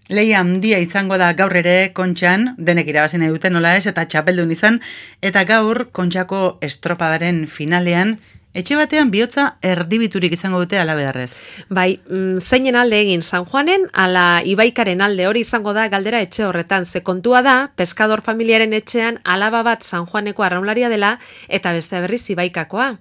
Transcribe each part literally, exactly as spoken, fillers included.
Lehia handia izango da gaur ere Kontxan, denek irabazi nahi dute nola ez, eta txapeldun izan, eta gaur Kontxako estropadaren finalean, etxe batean bihotza erdibiturik izango dute alabedarrez. Bai, mm, zeinen alde egin San Juanen, ala Ibaikaren alde hori izango da galdera etxe horretan. Ze kontua da, peskador familiaren etxean alaba bat San Juaneko arraunlaria dela, eta beste berriz Ibaikakoa.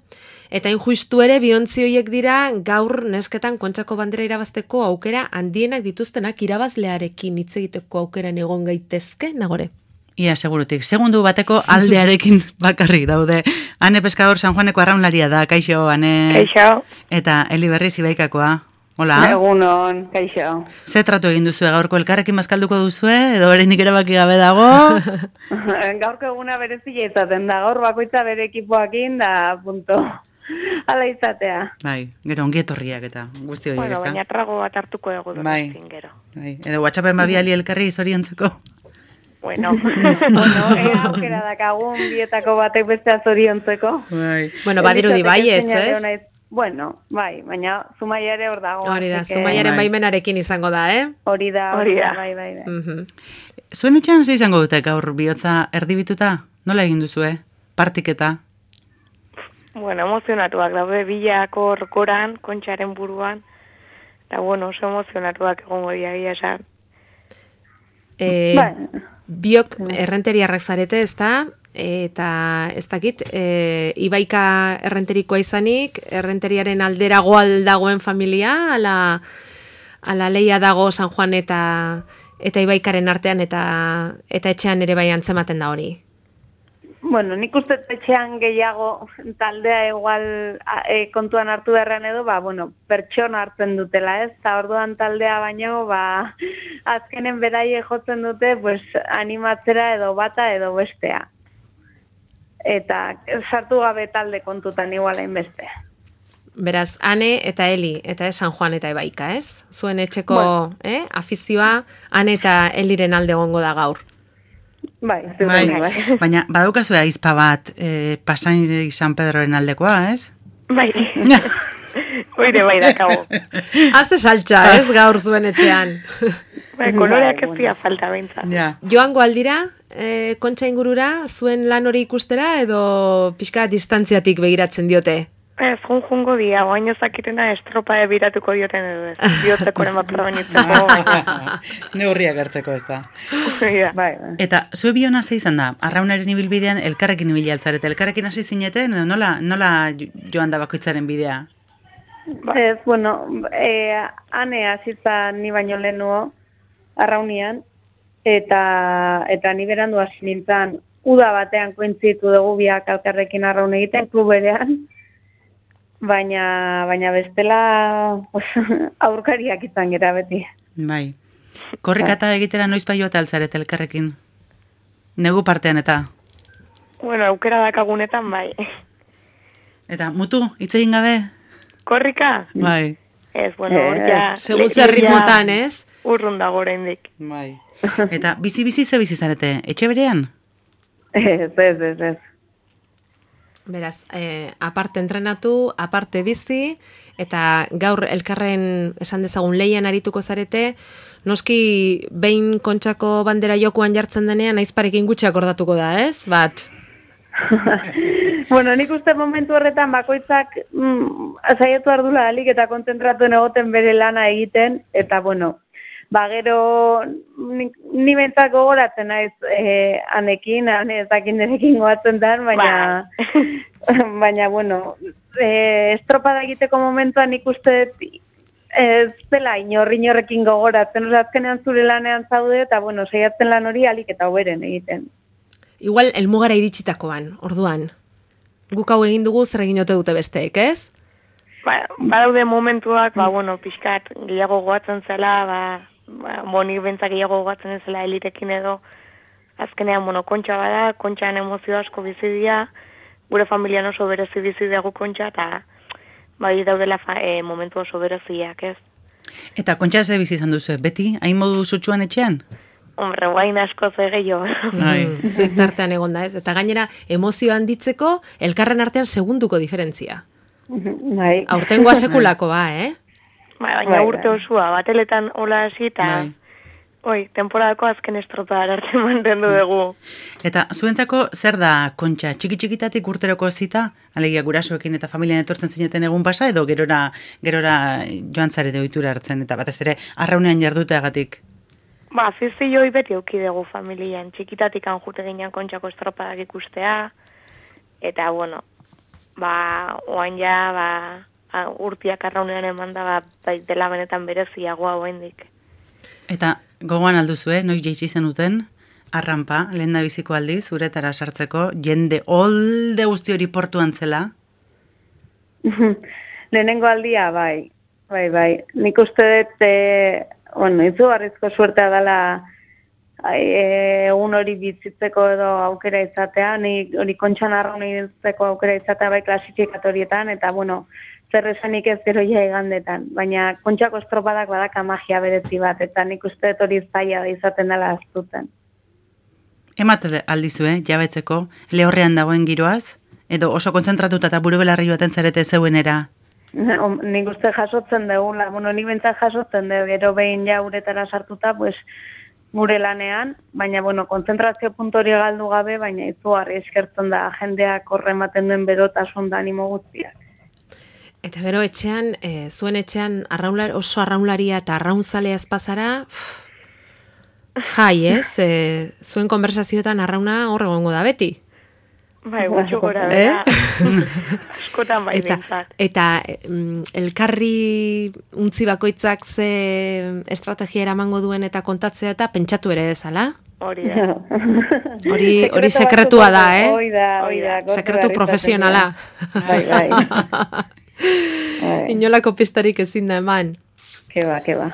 Eta injustu ere biontzi horiek dira gaur nesketan Kontxako bandera irabazteko aukera handienak dituztenak irabazlearekin hitz egiteko aukeran egon gaitezke, Nagore? Ia, segurutik. Segundu bateko aldearekin bakarrik daude. Ane Peskador San Juaneko arraunlaria da, kaixo, Ane. Kaixo. Eta Eli Berriz Ibaikakoa. Hola. Egunon, kaixo. Ze tratu egin duzue gaurko elkarrekin bazkalduko duzue, edo oraindik erabaki gabe dago? Gaurko eguna berezia izaten da, gaur bakoitza bere ekipoakin da, punto. Hala izatea. Bai, gero ongi etorriak eta guzti horiek, bueno, ezta? baina trago bat hartuko egu dut bai. gero. Bai, edo WhatsAppen babiali elkarri zoriontzeko. Bueno, bueno, ea aukera dakagun bietako batek bestea zoriontzeko. Bai. Bueno, badirudi baietz, ez? Bueno, bai, baina Zumaiare hor dago. Hori da, Zumaiaren bai. baimenarekin izango da, eh? Hori da, hori da, bai, bai, bai. Mhm. Zuen etxean ze izango dute gaur bihotza erdibituta? Nola egin duzue? Partiketa? Bueno, emozionatuak daude bilako orkoran, Kontxaren buruan, eta bueno, oso emozionatuak egongo diagia esan. E, Bai. Biok errenteriarrak zarete, ez da? Eta ez dakit, e, Ibaika errenterikoa izanik, errenteriaren aldera goal dagoen familia, ala, ala leia dago San Juan eta eta Ibaikaren artean eta eta etxean ere bai antzematen da hori. Bueno, nik uste etxean gehiago taldea igual e, kontuan hartu beharrean edo, ba, bueno, pertsona hartzen dutela, ez? Eta orduan taldea baino, ba, azkenen beraie jotzen dute, pues, animatzera edo bata edo bestea. Eta sartu gabe talde kontutan igual hainbeste. Beraz, Ane eta Eli, eta ez San Juan eta Ibaika, ez? Zuen etxeko Bueno. eh, afizioa, Ane eta Eliren alde egongo da gaur. Bai, Bai, bai, bai. baina badukazu aizpa bat e, Pasain San Pedroren aldekoa, ez? Bai. Oire bai dakago. Azte saltxa, ez, gaur zuen etxean. Bai, koloreak ez dira falta behintzat. Ja. Joango aldira, e, Kontxa ingurura, zuen lan hori ikustera, edo pixka distantziatik begiratzen diote? Ez, jun jungo dia, oaino zakitena estropa ebiratuko dioten edo ez. Diotekoren bat probenitzeko, baina. Neurriak hartzeko ez da. Bai, bai. Eta zue biona ze izan da? Arraunaren ibilbidean elkarrekin ibili altzarete. Elkarrekin hasi zineten, edo nola, nola joan da bakoitzaren bidea? Ez, bueno, e, ane hasitza ni baino lehenuo, arraunian, eta eta ni berandu hasi nintzen, uda batean kointzitu dugu biak elkarrekin arraun egiten, kluberean, baina, baina bestela os, aurkariak izan gera beti. Bai. Korrikata egitera noiz bai joate altzarete elkarrekin? Negu partean eta? Bueno, aukera dakagunetan bai. Eta mutu, hitz egin gabe? Korrika? Bai. Ez, bueno, hor ja... Segun zer ritmotan, ez? Urrun dago oraindik. Bai. Eta bizi-bizi ze bizi zarete? Etxe berean? Ez, ez, ez, ez. Beraz, eh, aparte entrenatu, aparte bizi, eta gaur elkarren esan dezagun leian arituko zarete, noski behin Kontxako bandera jokuan jartzen denean, aizparekin gutxi akordatuko da, ez? Bat. Bueno, nik uste momentu horretan bakoitzak mm, saiatu ardula alik eta konzentratu egoten bere lana egiten, eta bueno, ba gero ni, ni bentzak gogoratzen naiz eh, anekin, ane ez dakin denekin goatzen den, baina, baina bueno, eh, estropada egiteko momentuan nik uste ez dela inor, inorrekin gogoratzen, oza, azkenean zure lanean zaude, eta bueno, saiatzen lan hori alik eta hoberen egiten. Igual, elmugara iritsitakoan, orduan. Guk hau egin dugu zer egin ote dute besteek, ez? Ba, badaude momentuak, ba, bueno, pixkat gehiago goatzen zela, ba, ba monik bentzak gehiago goatzen zela elirekin edo, azkenean, bueno, Kontxa bada, Kontxan emozio asko bizi dira, gure familian oso berezi bizi dugu Kontxa, eta bai daudela fa, e, momentu oso bereziak, ez? Eta Kontxa ze bizi izan duzu, beti? Hain modu sutsuan etxean? Hombre, guain asko ze gehiago. Mm, zuek tartean egon da, ez? Eta gainera, emozio handitzeko, elkarren artean segunduko diferentzia. Bai. Aurtengoa sekulako ba, eh? Ba, baina urte osua, bateletan hola hasi, eta oi, temporadako azken estropada arte mantendu dugu. Eta zuentzako zer da Kontxa? Txiki-txikitatik urteroko zita? Alegia gurasoekin eta familian etortzen zineten egun pasa, edo gerora, gerora joan zarete ohitura hartzen, eta batez ere arraunean jarduteagatik? Ba, afizioi beti euki dugu familian. Txikitatik anjute ginean Kontxako estropadak ikustea, eta, bueno, ba, oain ja, ba, urtiak arraunean eman da, ba, bai, dela benetan bereziagoa oaindik. Eta gogoan alduzue, noiz jaitsi zenuten, arrampa, lehen da biziko aldiz, uretara sartzeko, jende olde guzti hori portuan zela? Lehenengo aldia, bai, bai, bai. Nik uste dut, e, bueno, izugarrizko suertea dela e, egun hori bizitzeko edo aukera izatea, nik hori Kontxan arraun izatzeko aukera izatea bai klasifikatorietan, eta, bueno, zer esanik ez gero ja igandetan, baina Kontxako estropadak badaka magia berezi bat, eta nik uste dut hori zaila da izaten dela aztuten. Emate aldizue, jabetzeko, lehorrean dagoen giroaz, edo oso kontzentratuta eta buru belarri baten zarete zeuenera? Nik uste jasotzen dugula, bueno, nik bentsat jasotzen dugu, gero behin ja uretara sartuta, pues, gure lanean, baina, bueno, kontzentrazio puntu hori galdu gabe, baina izugarri eskertzen da jendeak horrematen duen berotasun da animo guztiak. Eta gero etxean, e, zuen etxean arraular, oso arraunlaria eta arrauntzalea ezpazara, jai, ez? E, zuen konversazioetan arrauna hor egongo da beti. Bai, gutxu gora bera. Askotan bai eta, bintzat. eta mm, elkarri untzi bakoitzak ze estrategia eramango duen eta kontatzea eta pentsatu ere dezala? Hori da. Hori, hori sekretua da, eh? Hoi da, hoi da. Sekretu profesionala. Bai, bai. Inolako pistarik ezin da eman. Keba, keba.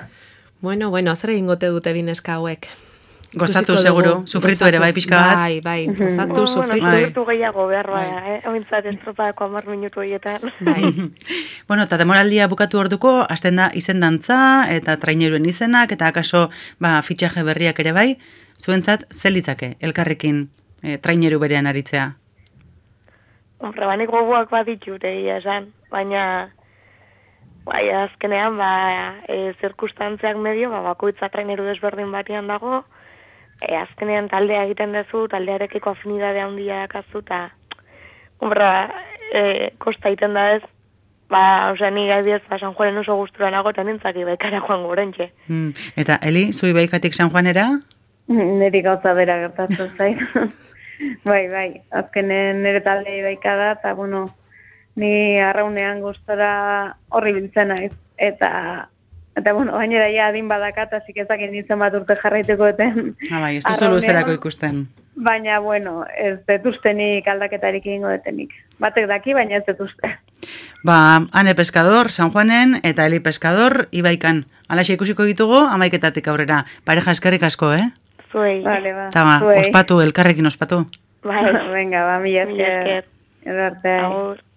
Bueno, bueno, zer egingote dute bineska hauek? Gozatu seguru, sufritu ere bai pixka bat. Bai, bai, gozatu, sufritu. Bueno, sufritu gehiago behar bada, eh? Ointzat estropadako hamar minutu horietan. Bai. Bueno, eta demoraldia bukatu orduko, hasten da izendantza eta traineruen izenak, eta akaso ba, fitxaje berriak ere bai, zuentzat zelitzake elkarrekin e, traineru berean aritzea? Hombre, banik gogoak bat ditut egia esan, baina bai, azkenean, ba, e, zirkustantziak medio, ba, bakoitza traineru desberdin batian dago, e, azkenean taldea egiten duzu, taldearekiko afinidadea handia dakazu, eta, hombre, e, kosta egiten da ez, ba, osea, ni gaibiez, ba, San Juanen oso gustura nago, eta nintzaki baikara joan gorentxe. Mm. Eta, Eli, zui baikatik San Juanera? Niri gauza bera gertatu zain. Bai, bai, azkenen nire taldei baikada, eta, bueno, ni arraunean gustora horri biltzen naiz. Eta, eta bueno, gainera ja adin badakat, hasi kezak nintzen bat urte jarraituko eten. Ah, bai, ez duzu luzerako ikusten. Baina, bueno, ez detuztenik aldaketarik egingo detenik. Batek daki, baina ez detuzte. Ba, Ane Pescador, San Juanen, eta Eli Pescador, Ibaikan. Alaxe ikusiko ditugu, amaiketatik aurrera. Pareja eskerrik asko, eh? Zuei. Vale, ba. Eta ba, ospatu, elkarrekin ospatu. Bai, venga, ba, mila esker. Mila esker. Edo arte. Agur.